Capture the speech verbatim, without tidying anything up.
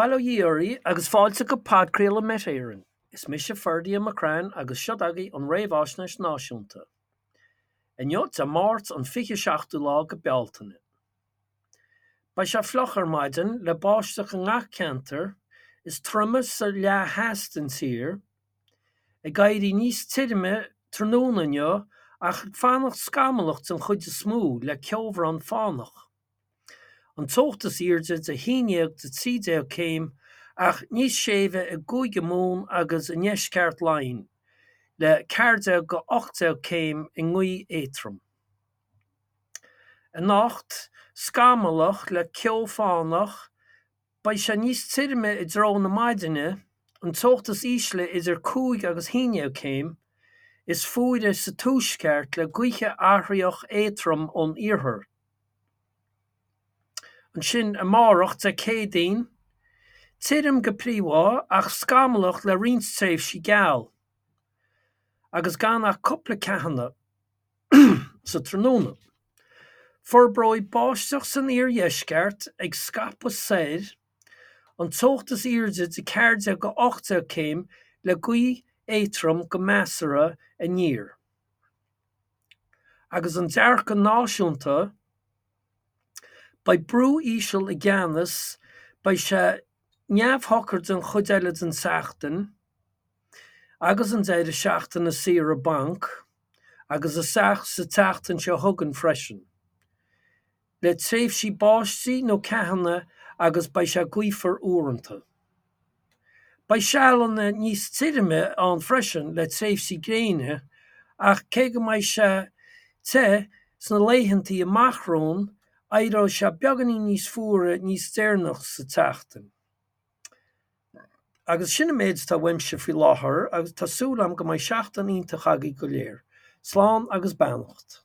Bail ó Dhia oraibh agus fáilte go podchraoladh Met Éireann. Is mise Ferdia McCrann agus seo agaibh an Réamhaisnéis Náisiúnta. Inniu Dé Máirt an fiche seachtú lá go Bealtaine. Beidh sé fliuch ar maidin le báisteach i ngach ceantar, is troime sa leath theas den tír, ag éirí níos tirime tráthnóna inniu ach ag fanacht scamallach den chuid is mó le ceobhrán fánach. An teocht is airde de haon déag go trí déag céim ach níos séimhe i gCúige Mumhan agus i ndeisceart Laighean, le ceathair déag go ocht déag céim i ngaoth éadrom. Anocht, scamallach le ceo fánach, beidh sé níos tirime i dtreo na maidine, an teocht is ísle idir cúig agus haon déag céim, is fuaire sa tuaisceart le gaoth athraitheach éadrom ón iarthar. Ansin amárach Dé Céadaoin, tirim go príomha ach scamallach le roinnt tréimhsí geal, agus gan ach cúpla ceathanna sa tráthnóna. Forbróidh báisteach san iardheisceart ag scaipeadh soir, an teocht is airde de ceathair déag go ocht déag céim le gaoth éadrom go measartha aniar. Agus an dearcadh náisiúnta, Beidh brú íseal i gceannas, beidh sé neamhshocair den chuid eile den tseachtain agus an deireadh seachtaine saoire bainc agus isteach sa tseachtain seo chugainn freisin, le tréimhsí báistí nó ceathanna agus beidh sé gaofar uaireanta. Beidh sealanna níos tirime ann freisin le tréimhsí gréine ach cé go mbeidh sé te sna laethanta amach romhainn, éireoidh sé beagáinín níos fuaire níos deireanach sa tseachtain. Agus sin an méid atá uaimse faoi láthair agus tá súil agam go mbeidh seachtain iontach agaibh go léir. Slán agus beannacht.